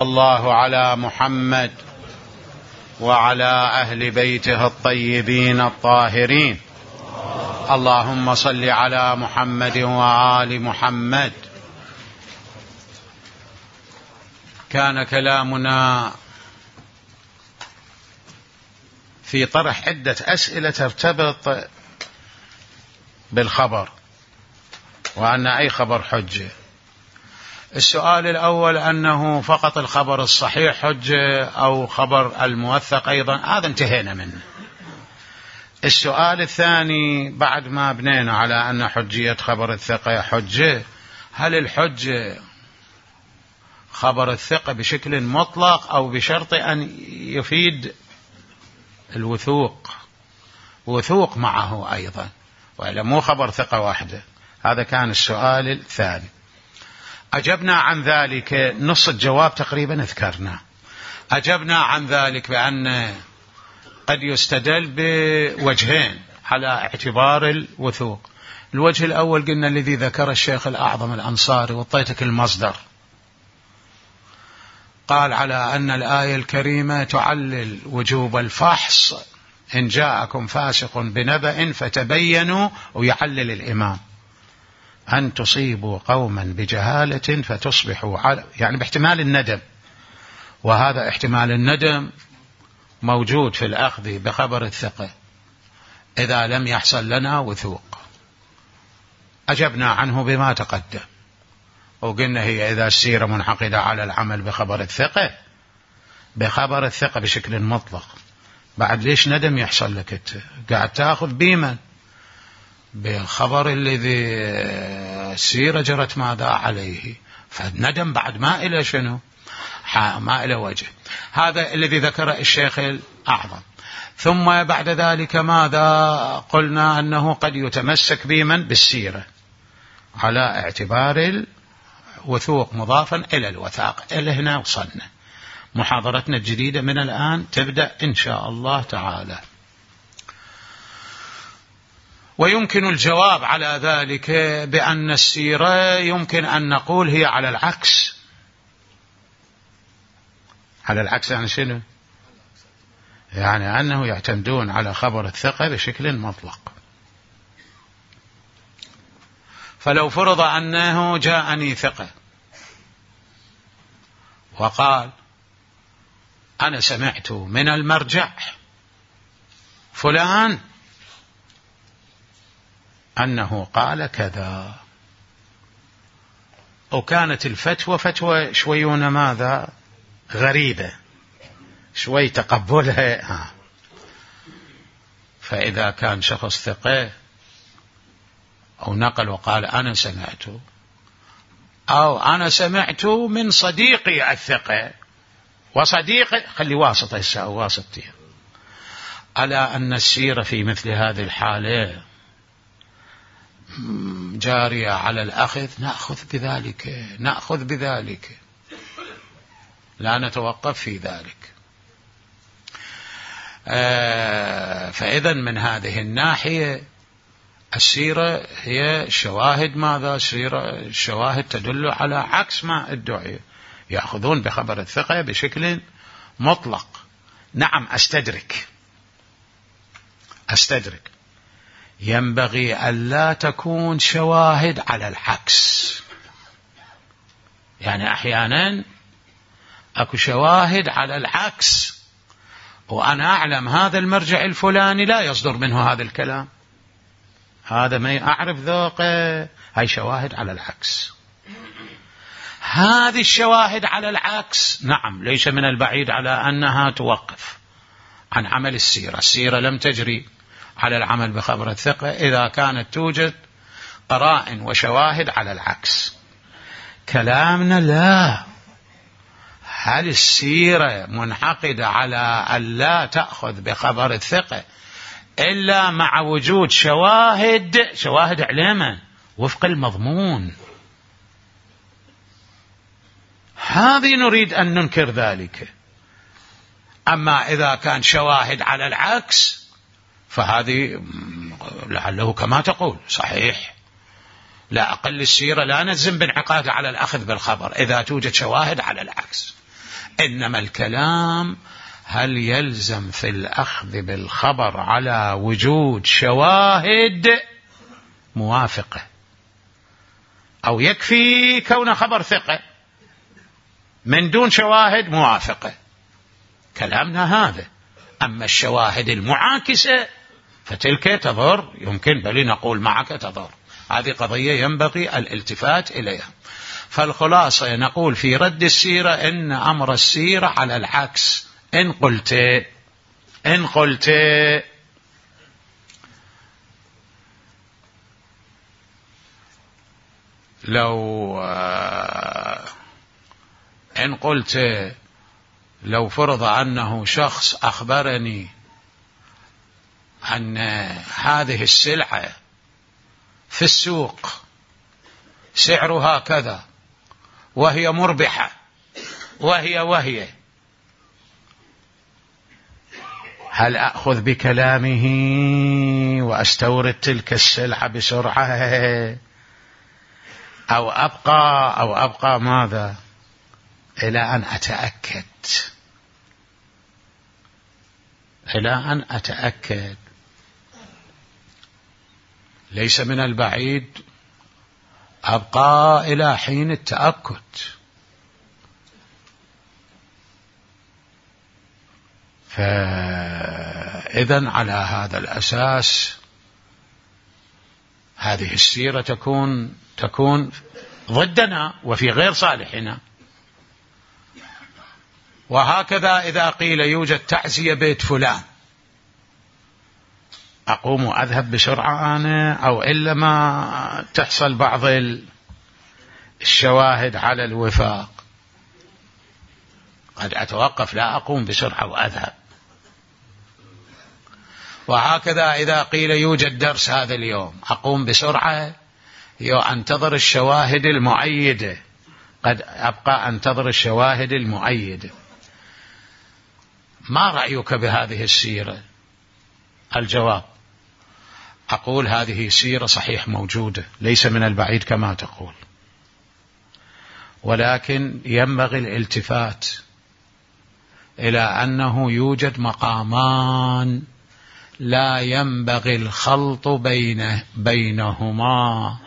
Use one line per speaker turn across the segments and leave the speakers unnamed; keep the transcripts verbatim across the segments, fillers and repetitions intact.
الله على محمد وعلى أهل بيته الطيبين الطاهرين. اللهم صل على محمد وآل محمد. كان كلامنا في طرح عدة أسئلة ترتبط بالخبر، وأن أي خبر حجة. السؤال الأول أنه فقط الخبر الصحيح حجة أو خبر الموثق أيضا، هذا انتهينا منه. السؤال الثاني بعد ما بنينا على أن حجية خبر الثقة حجة، هل الحجة خبر الثقة بشكل مطلق أو بشرط أن يفيد الوثوق وثوق معه أيضا، وإلا مو خبر ثقة واحدة؟ هذا كان السؤال الثاني. أجبنا عن ذلك، نص الجواب تقريبا ذكرنا. أجبنا عن ذلك بأن قد يستدل بوجهين على اعتبار الوثوق. الوجه الأول قلنا الذي ذكر الشيخ الأعظم الأنصاري، وطيتك المصدر، قال على أن الآية الكريمة تعلل وجوب الفحص إن جاءكم فاسق بنبأ فتبينوا، ويعلل الإمام أن تصيبوا قوما بجهالة فتصبحوا على، يعني باحتمال الندم، وهذا احتمال الندم موجود في الأخذ بخبر الثقة إذا لم يحصل لنا وثوق. أجبنا عنه بما تقدم، وقلنا هي إذا السيرة منعقدة على العمل بخبر الثقة بخبر الثقة بشكل مطلق، بعد ليش ندم يحصل لك؟ انت قاعد تأخذ بيمن بخبر الذي السيرة جرت ماذا عليه، فالندم بعد ما إلى شنو، ما إلى وجه. هذا الذي ذكر الشيخ الأعظم. ثم بعد ذلك ماذا قلنا؟ أنه قد يتمسك بمن بالسيرة على اعتبار الوثوق مضافا إلى الوثاق. إلى هنا وصلنا. محاضرتنا الجديدة من الآن تبدأ إن شاء الله تعالى. ويمكن الجواب على ذلك بأن السيرة يمكن أن نقول هي على العكس. على العكس يعني شنو؟ يعني أنه يعتمدون على خبر الثقة بشكل مطلق. فلو فرض أنه جاءني ثقة وقال أنا سمعت من المرجع فلان أنه قال كذا، وكانت الفتوى فتوى شويون ماذا غريبة، شوي تقبلها ها. فإذا كان شخص ثقة أو نقل وقال أنا سمعت، أو أنا سمعت من صديقي الثقة، وصديقي خلي واسطة الساعة واسطتها، ألا أن السيرة في مثل هذه الحالة جارية على الأخذ، نأخذ بذلك نأخذ بذلك لا نتوقف في ذلك. آه فإذا من هذه الناحية السيرة هي شواهد ماذا؟ سيرة شواهد تدل على عكس ما ادعي، يأخذون بخبر الثقة بشكل مطلق. نعم أستدرك أستدرك ينبغي ألا تكون شواهد على العكس. يعني أحيانا أكو شواهد على العكس، وأنا أعلم هذا المرجع الفلاني لا يصدر منه هذا الكلام، هذا ما أعرف ذوقه، هاي شواهد على العكس. هذه الشواهد على العكس نعم ليس من البعيد على أنها توقف عن عمل السيرة. السيرة لم تجري على العمل بخبر الثقة إذا كانت توجد قرائن وشواهد على العكس. كلامنا لا، هل السيرة منعقدة على أن لا تأخذ بخبر الثقة إلا مع وجود شواهد شواهد علما وفق المضمون؟ هذه نريد أن ننكر ذلك. أما إذا كان شواهد على العكس فهذه لعله كما تقول صحيح، لا أقل السيرة لا نلزم بانعقاد على الأخذ بالخبر إذا توجد شواهد على العكس. إنما الكلام هل يلزم في الأخذ بالخبر على وجود شواهد موافقة، أو يكفي كون خبر ثقة من دون شواهد موافقة؟ كلامنا هذا. أما الشواهد المعاكسة فتلك تضر، يمكن بل نقول معك تضر. هذه قضية ينبغي الالتفات إليها. فالخلاصة نقول في رد السيرة إن أمر السيرة على العكس. إن قلت إن قلت لو إن قلت لو فرض أنه شخص أخبرني أن هذه السلعة في السوق سعرها كذا وهي مربحة وهي وهي هل أخذ بكلامه وأستورد تلك السلعة بسرعة، أو أبقى أو أبقى ماذا إلى أن أتأكد إلى أن أتأكد؟ ليس من البعيد أبقى إلى حين التأكد. فإذن على هذا الأساس هذه السيرة تكون تكون ضدنا وفي غير صالحنا. وهكذا إذا قيل يوجد تعزية بيت فلان، أقوم وأذهب بسرعة أنا، أو إلا ما تحصل بعض الشواهد على الوفاق قد أتوقف، لا أقوم بسرعة وأذهب. وهكذا إذا قيل يوجد درس هذا اليوم، أقوم بسرعة أنتظر الشواهد المؤيدة، قد أبقى أنتظر الشواهد المؤيدة. ما رأيك بهذه السيرة؟ الجواب أقول هذه سيرة صحيح موجودة، ليس من البعيد كما تقول، ولكن ينبغي الالتفات إلى أنه يوجد مقامان لا ينبغي الخلط بينه بينهما.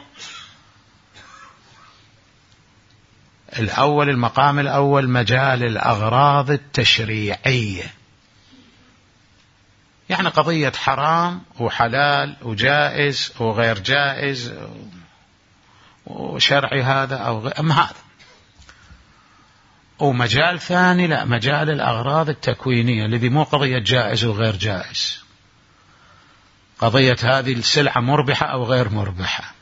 الأول، المقام الأول مجال الأغراض التشريعية، يعني قضية حرام وحلال وجائز وغير جائز وشرعي هذا أو غير، أم هذا. ومجال ثاني لا، مجال الأغراض التكوينية الذي مو قضية جائز وغير جائز، قضية هذه السلعة مربحة أو غير مربحة،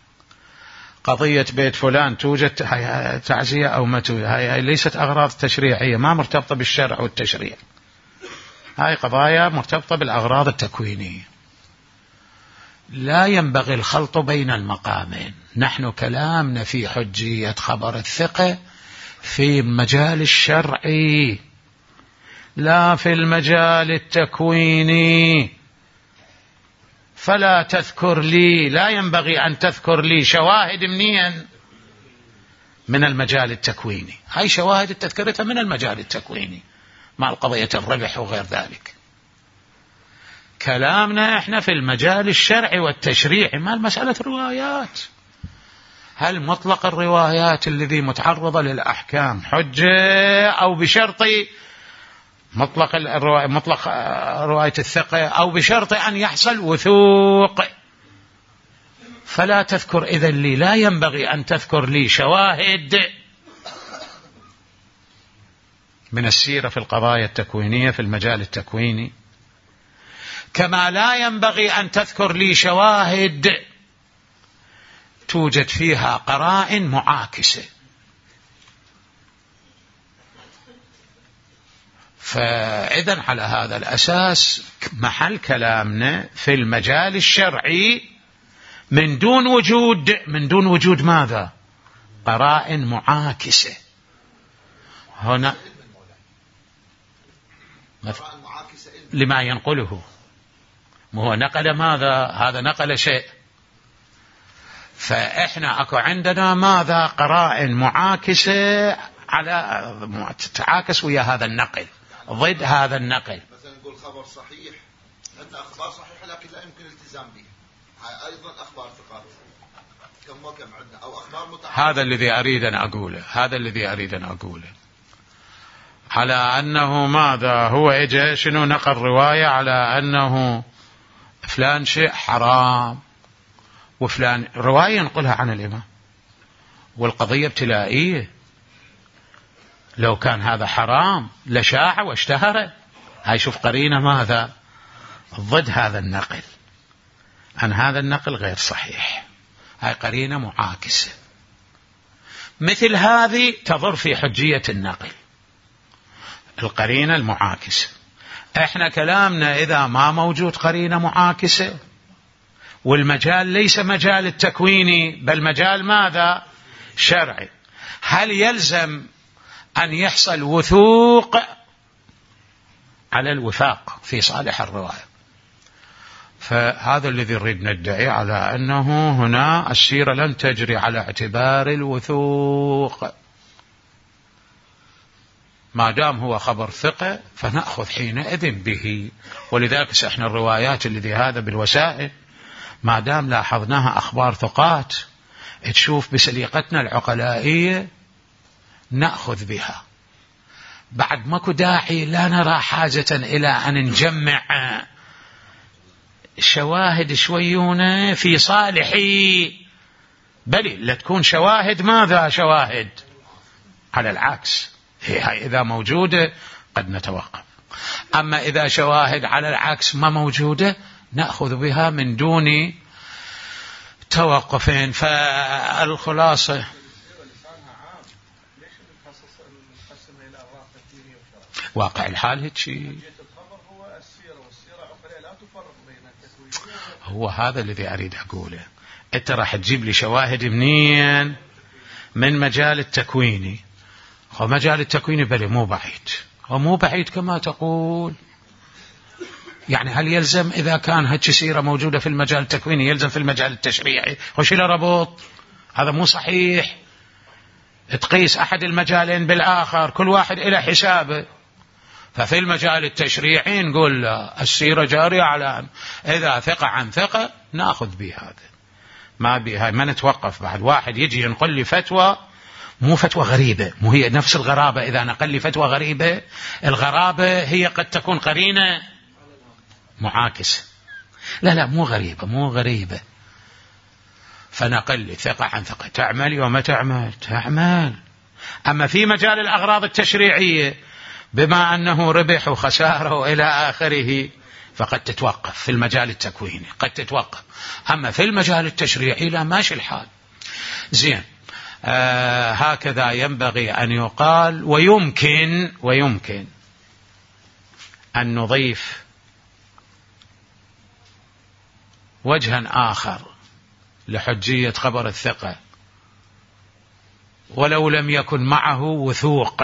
قضية بيت فلان توجد تعزية أو ما توجد، هاي ليست أغراض تشريعية، ما مرتبطة بالشرع والتشريع، هاي قضايا مرتبطة بالأغراض التكوينية. لا ينبغي الخلط بين المقامين. نحن كلامنا في حجية خبر الثقة في المجال الشرعي لا في المجال التكويني. فلا تذكر لي، لا ينبغي أن تذكر لي شواهد منين؟ من المجال التكويني. هاي شواهد التذكرتها من المجال التكويني مع القضية الربح وغير ذلك. كلامنا احنا في المجال الشرعي والتشريعي، ما المسألة روايات. هل مطلق الروايات الذي متعرضة للأحكام حجة، أو بشرط مطلق الرواية مطلق رواية الثقة، أو بشرط أن يحصل وثوق؟ فلا تذكر إذن لي، لا ينبغي أن تذكر لي شواهد من السيرة في القضايا التكوينية في المجال التكويني، كما لا ينبغي أن تذكر لي شواهد توجد فيها قرائن معاكسة. فإذن على هذا الأساس محل كلامنا في المجال الشرعي من دون وجود من دون وجود ماذا؟ قرائن معاكسة. هنا لما ينقله، هو نقل ماذا؟ هذا نقل شيء، فإحنا أكو عندنا ماذا؟ قرائن معاكسة على تتعاكس ويا هذا النقل، ضد هذا النقل.
مثلا نقول خبر صحيح، عندنا أخبار صحيحة لكن لا يمكن الالتزام بها، أيضا أخبار ثقات كم وكم عندنا، أو أخبار متعارضة.
هذا الذي أريد أن أقوله، هذا الذي أريد أن أقوله على أنه ماذا هو إجا شنو نقل رواية على أنه فلان شيء حرام وفلان، رواية نقلها عن الإمام والقضية ابتلائية، لو كان هذا حرام لشاع واشتهر. هاي شوف قرينة ماذا ضد هذا النقل، أن هذا النقل غير صحيح، هاي قرينة معاكسة. مثل هذه تضر في حجية النقل، القرينة المعاكسة. احنا كلامنا إذا ما موجود قرينة معاكسة والمجال ليس مجال التكويني بل مجال ماذا شرعي، هل يلزم أن يحصل وثوق على الوفاق في صالح الرواية؟ فهذا الذي نريد ندعي على أنه هنا السيرة لن تجري على اعتبار الوثوق، ما دام هو خبر ثقة فنأخذ حينئذ به. ولذلك احنا الروايات الذي هذا بالوسائل ما دام لاحظناها أخبار ثقات تشوف بسليقتنا العقلائية نأخذ بها، بعد ماكو داعي، لا نرى حاجة إلى أن نجمع شواهد شويونة في صالحي، بل لا تكون شواهد ماذا شواهد على العكس، هي إذا موجودة قد نتوقف. أما إذا شواهد على العكس ما موجودة نأخذ بها من دون توقفين. فالخلاصة واقع الحال هيك شيء، هو هذا الذي أريد أقوله. أنت راح تجيب لي شواهد منين؟ من مجال التكويني، ومجال التكويني بل مو بعيد، ومو بعيد كما تقول. يعني هل يلزم إذا كان هيك سيرة موجودة في المجال التكويني يلزم في المجال التشريعي؟ وش له ربط؟ هذا مو صحيح. تقيس أحد المجالين بالآخر، كل واحد إلى حسابه. ففي المجال التشريعي نقول السيرة جارية على إذا ثقة عن ثقة نأخذ بهذا، ما بها ما نتوقف. بعد واحد يجي ينقل لي فتوى مو فتوى غريبة، مو هي نفس الغرابة. إذا نقل لي فتوى غريبة، الغرابة هي قد تكون قرينة معاكسة. لا لا مو غريبة، مو غريبة. فنقل لي ثقة عن ثقة، تعمل وما تعمل تعمل. أما في مجال الأغراض التشريعية بما أنه ربح وخسارة وإلى آخره فقد تتوقف في المجال التكويني، قد تتوقف. أما في المجال التشريعي لا، ماشي الحال. زين، آه هكذا ينبغي أن يقال. ويمكن ويمكن أن نضيف وجها آخر لحجية خبر الثقة ولو لم يكن معه وثوق.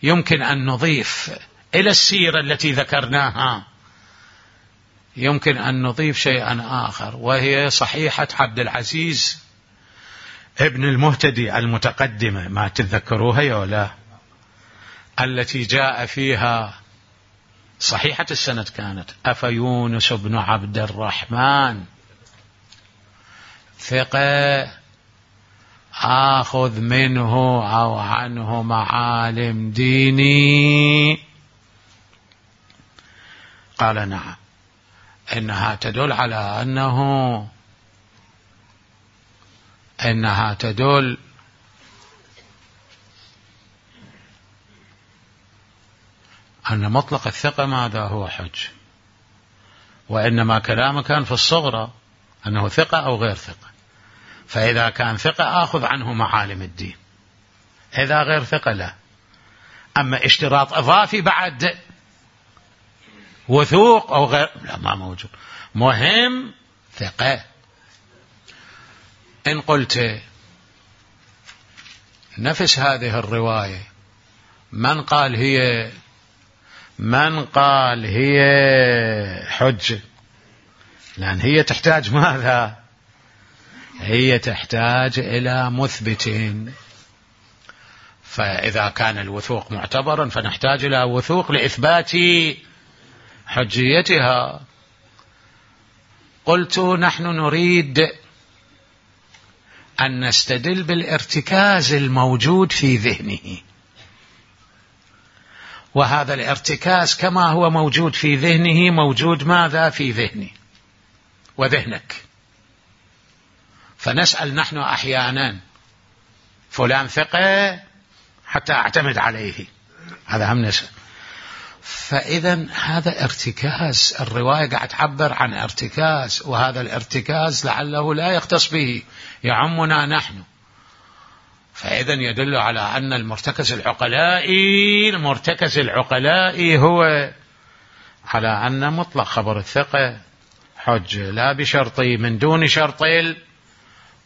يمكن أن نضيف إلى السيرة التي ذكرناها، يمكن أن نضيف شيئا آخر، وهي صحيحة عبد العزيز ابن المهتدي المتقدمة، ما تتذكروها يا ولا؟ التي جاء فيها صحيحة السند كانت: أفيونس بن عبد الرحمن ثقة آخذ منه أو عنه معالم ديني؟ قال نعم. إنها تدل على أنه إنها تدل أن مطلق الثقة ماذا هو حج، وإنما كلامه كان في الصغرى أنه ثقة أو غير ثقة. فإذا كان ثقة آخذ عنه معالم الدين، إذا غير ثقة لا. أما اشتراط إضافي بعد وثوق أو غير، لا، ما موجود. مهم ثقة. إن قلت نفس هذه الرواية من قال هي من قال هي حجة؟ لأن هي تحتاج ماذا؟ هي تحتاج إلى مثبتين، فإذا كان الوثوق معتبرا فنحتاج إلى وثوق لإثبات حجيتها. قلت نحن نريد أن نستدل بالارتكاز الموجود في ذهنه، وهذا الارتكاز كما هو موجود في ذهنه موجود ماذا في ذهني وذهنك. فنسأل نحن أحيانا فلان ثقة حتى أعتمد عليه، هذا هم نسأل. فإذا هذا ارتكاز، الرواية قاعد تعبر عن ارتكاز، وهذا الارتكاز لعله لا يختص به، يعمنا نحن. فإذا يدل على أن المرتكز العقلائي المرتكز العقلائي هو على أن مطلق خبر الثقة حجة لا بشرطي من دون شرط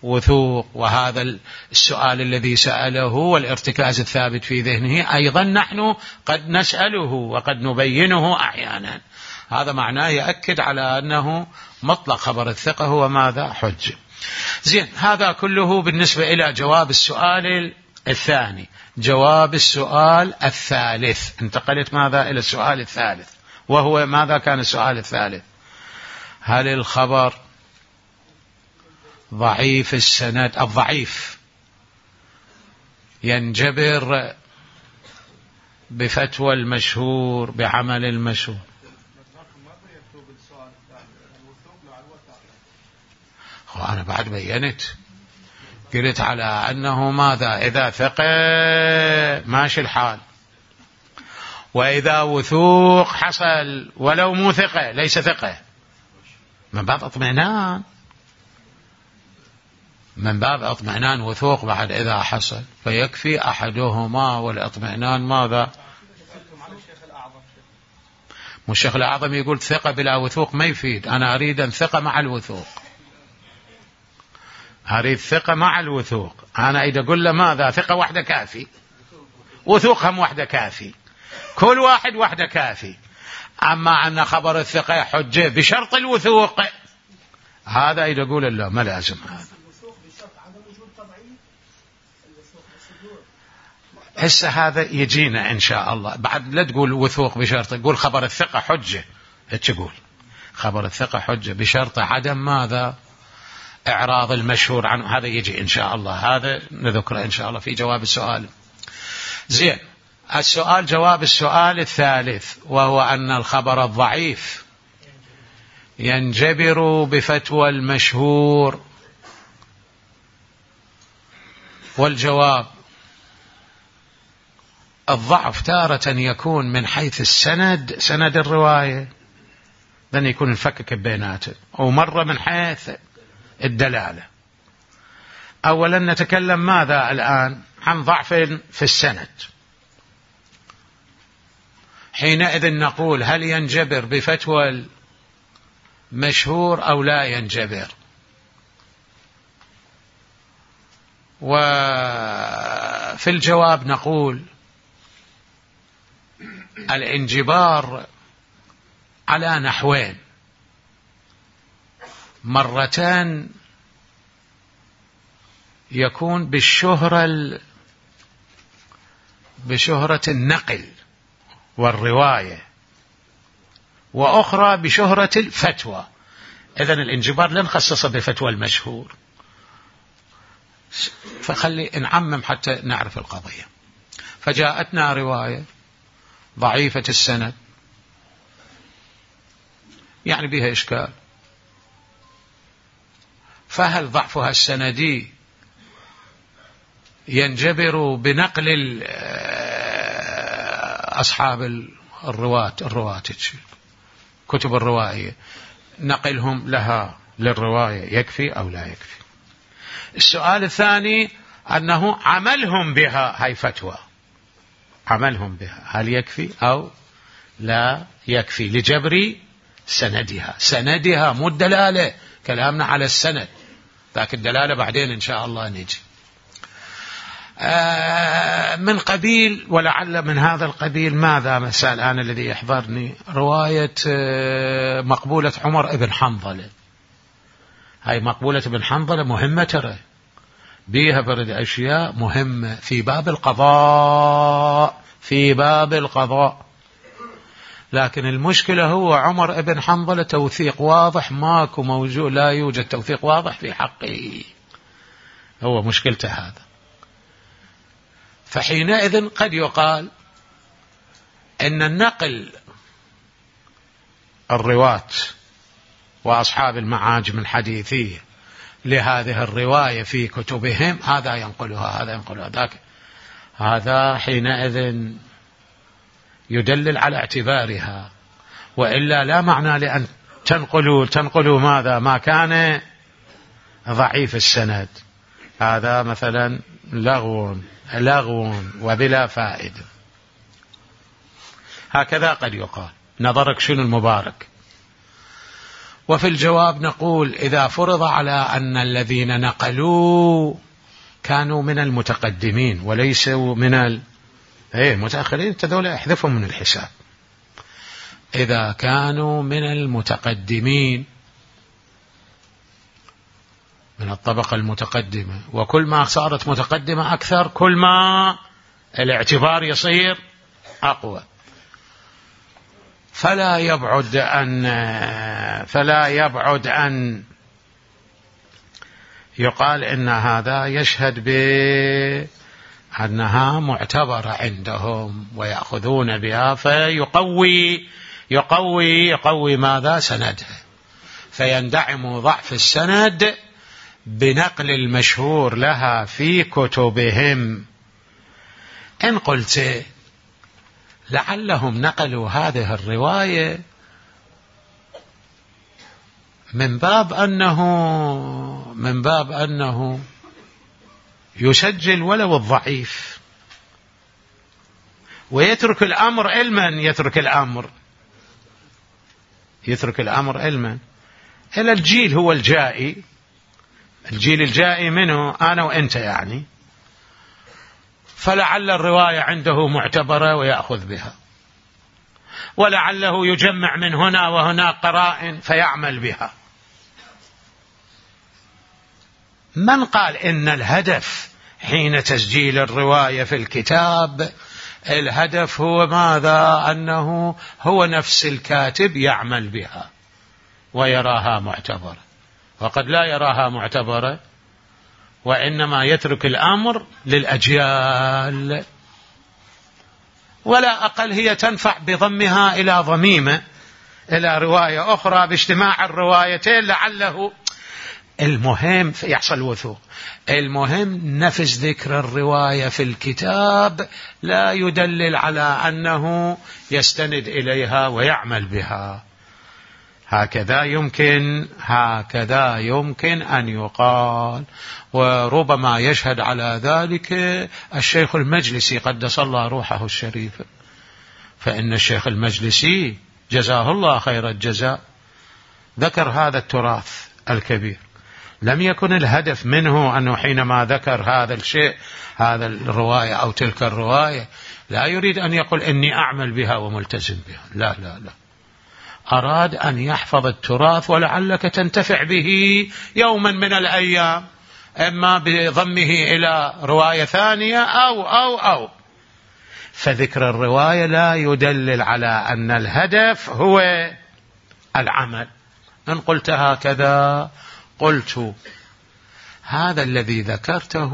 الوثوق. وهذا السؤال الذي سأله والارتكاز الثابت في ذهنه أيضا نحن قد نسأله وقد نبينه أحيانا. هذا معناه يأكد على أنه مطلق خبر الثقة هو ماذا حجة. زين، هذا كله بالنسبة إلى جواب السؤال الثاني. جواب السؤال الثالث، انتقلت ماذا إلى السؤال الثالث، وهو ماذا كان السؤال الثالث؟ هل الخبر ضعيف السند الضعيف ينجبر بفتوى المشهور بعمل المشهور؟ أنا بعد بينت قلت على أنه ماذا إذا ثقة ماشي الحال، وإذا وثوق حصل ولو مو ثقة ليس ثقة من باب اطمئنان، من باب اطمئنان وثوق بعد إذا حصل، فيكفي أحدهما والاطمئنان ماذا. مو الشيخ الأعظم يقول ثقة بلا وثوق ما يفيد، أنا أريد أن ثقة مع الوثوق، أريد ثقة مع الوثوق. أنا إذا أقول له ماذا ثقة واحدة كافي، وثوق هم واحدة كافي، كل واحد واحدة كافي. أما أن خبر الثقة حجة بشرط الوثوق، هذا إذا أقول له ما لازم. هذا هسه هذا يجينا إن شاء الله بعد. لا تقول وثوق بشرط، تقول خبر الثقة حجة، تقول خبر الثقة حجة بشرط عدم ماذا إعراض المشهور عنه. هذا يجي إن شاء الله، هذا نذكره إن شاء الله في جواب السؤال. زين، السؤال جواب السؤال الثالث، وهو أن الخبر الضعيف ينجبر بفتوى المشهور. والجواب الضعف تارة يكون من حيث السند، سند الرواية، لن يكون الفكك بيناته، ومرة من حيث الدلالة. أولا نتكلم ماذا الآن عن ضعف في السند. حينئذ نقول هل ينجبر بفتوى المشهور أو لا ينجبر؟ وفي الجواب نقول الانجبار على نحوين. مرتان يكون بالشهرة بشهرة النقل والرواية، وأخرى بشهرة الفتوى. إذن الانجبار لا نخصصه بفتوى المشهور، فخلي نعمم حتى نعرف القضية. فجاءتنا رواية ضعيفة السند يعني بها إشكال، فهل ضعفها السندي ينجبر بنقل أصحاب الرواة الرواة كتب الروائية، نقلهم لها للرواية يكفي أو لا يكفي؟ السؤال الثاني أنه عملهم بها، هاي فتوى، عملهم بها هل يكفي أو لا يكفي لجبر سندها. سندها مو الدلالة، كلامنا على السند، لكن الدلالة بعدين إن شاء الله نجي. آه من قبيل ولعل من هذا القبيل ماذا مثلا الآن الذي يحضرني رواية آه مقبولة عمر ابن حنظلة هاي مقبولة بن حنظلة مهمة ترى، بيها برد أشياء مهمة في باب القضاء، في باب القضاء. لكن المشكلة هو عمر بن حنظلة توثيق واضح ماكو موجود، لا يوجد توثيق واضح في حقه، هو مشكلته هذا. فحينئذ قد يقال إن النقل الرواة وأصحاب المعاجم الحديثية لهذه الرواية في كتبهم، هذا ينقلها هذا ينقلها ذاك، هذا حينئذ يدلل على اعتبارها، وإلا لا معنى لأن تنقلوا تنقلوا ماذا ما كان ضعيف السند، هذا مثلا لغو لغو وبلا فائدة. هكذا قد يقال. نظرك شنو المبارك؟ وفي الجواب نقول إذا فرض على أن الذين نقلوا كانوا من المتقدمين وليسوا من ال... ايه متأخرين، تذول احذفهم من الحساب. إذا كانوا من المتقدمين من الطبقة المتقدمة، وكل ما صارت متقدمة أكثر كل ما الاعتبار يصير أقوى، فلا يبعد أن فلا يبعد أن يقال إن هذا يشهد بأنها معتبرة عندهم ويأخذون بها، فيقوي يقوي يقوي ماذا سندها، فيندعم ضعف السند بنقل المشهور لها في كتبهم. إن قلت لعلهم نقلوا هذه الرواية من باب أنه من باب أنه يسجل ولو الضعيف ويترك الأمر علما، يترك الأمر يترك الأمر علما إلى الجيل هو الجائي، الجيل الجائي منه أنا وأنت يعني، فلعل الرواية عنده معتبرة ويأخذ بها، ولعله يجمع من هنا وهنا قرائن فيعمل بها. من قال إن الهدف حين تسجيل الرواية في الكتاب الهدف هو ماذا؟ أنه هو نفس الكاتب يعمل بها ويراها معتبرة، وقد لا يراها معتبرة وإنما يترك الأمر للأجيال، ولا أقل هي تنفع بضمها إلى ضميمة إلى رواية أخرى باجتماع الروايتين لعله. المهم يحصل وثوق، المهم نفس ذكر الرواية في الكتاب لا يدلل على أنه يستند إليها ويعمل بها. هكذا يمكن هكذا يمكن أن يقال، وربما يشهد على ذلك الشيخ المجلسي قدس الله روحه الشريفة، فإن الشيخ المجلسي جزاه الله خير الجزاء ذكر هذا التراث الكبير. لم يكن الهدف منه أنه حينما ذكر هذا الشيء هذا الرواية أو تلك الرواية لا يريد أن يقول إني أعمل بها وملتزم بها، لا لا لا، أراد أن يحفظ التراث ولعلك تنتفع به يوما من الأيام، إما بضمه إلى رواية ثانية أو أو أو فذكر الرواية لا يدلل على أن الهدف هو العمل. إن قلت هكذا قلت هذا الذي ذكرته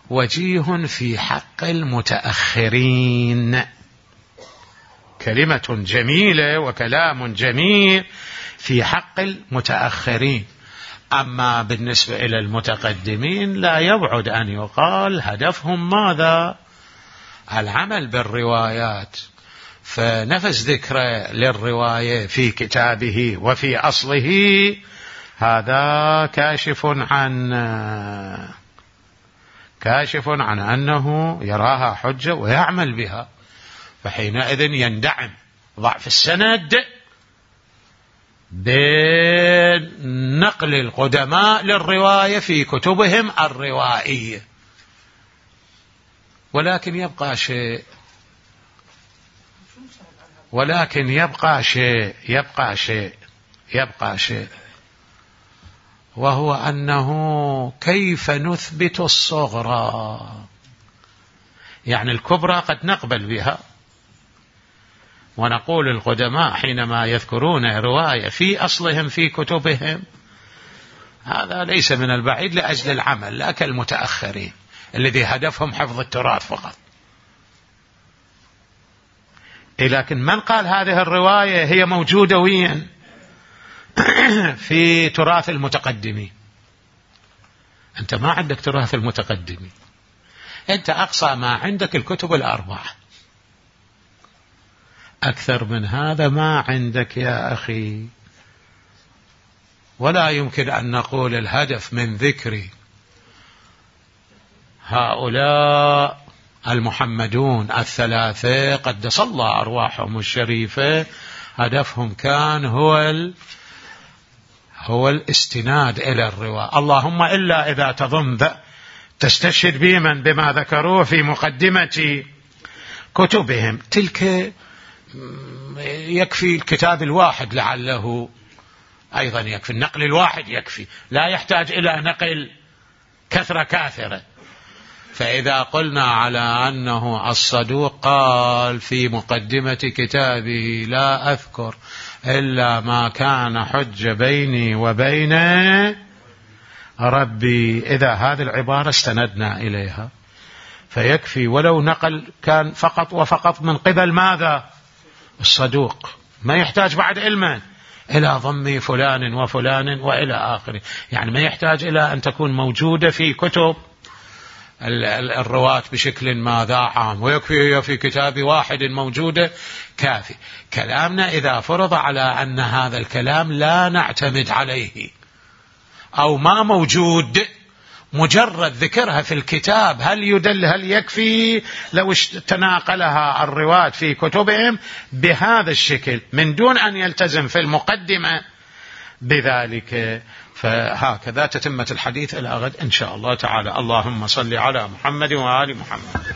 وجيه في حق المتأخرين، كلمة جميلة وكلام جميل في حق المتأخرين، أما بالنسبة إلى المتقدمين لا يبعد أن يقال هدفهم ماذا؟ العمل بالروايات، فنفس ذكر للرواية في كتابه وفي أصله هذا كاشف عن كاشف عن أنه يراها حجة ويعمل بها، فحينئذ يندعم ضعف السند بنقل القدماء للرواية في كتبهم الروائية. ولكن يبقى شيء ولكن يبقى شيء يبقى شيء يبقى شيء وهو أنه كيف نثبت الصغرى، يعني الكبرى قد نقبل بها، ونقول القدماء حينما يذكرون رواية في أصلهم في كتبهم هذا ليس من البعيد لأجل العمل، لا كالمتأخرين الذي هدفهم حفظ التراث فقط. لكن من قال هذه الرواية هي موجودة وين؟ في تراث المتقدمين. أنت ما عندك تراث المتقدمين، أنت أقصى ما عندك الكتب الأربعة، أكثر من هذا ما عندك يا أخي. ولا يمكن أن نقول الهدف من ذكر هؤلاء المحمدون الثلاثة قدس الله أرواحهم الشريفة هدفهم كان هو ال... هو الاستناد إلى الرواية، اللهم إلا إذا تضم تستشهد بمن بما ذكروه في مقدمة كتبهم. تلك يكفي الكتاب الواحد لعله أيضا يكفي، النقل الواحد يكفي، لا يحتاج إلى نقل كثرة كاثرة. فإذا قلنا على أنه الصدوق قال في مقدمة كتابه لا أذكر إلا ما كان حج بيني وبين ربي، إذا هذه العبارة استندنا إليها فيكفي، ولو نقل كان فقط وفقط من قبل ماذا؟ الصدوق، ما يحتاج بعد علما إلى ضم فلان وفلان وإلى آخره، يعني ما يحتاج إلى أن تكون موجودة في كتب الرواة بشكل ماذا عام، ويكفي في كتاب واحد موجودة كافي. كلامنا إذا فرض على أن هذا الكلام لا نعتمد عليه أو ما موجود، مجرد ذكرها في الكتاب هل يدل هل يكفي لو تناقلها الرواة في كتبهم بهذا الشكل من دون أن يلتزم في المقدمة بذلك. فهكذا تتمة الحديث إلى غد إن شاء الله تعالى. اللهم صل على محمد وآل محمد.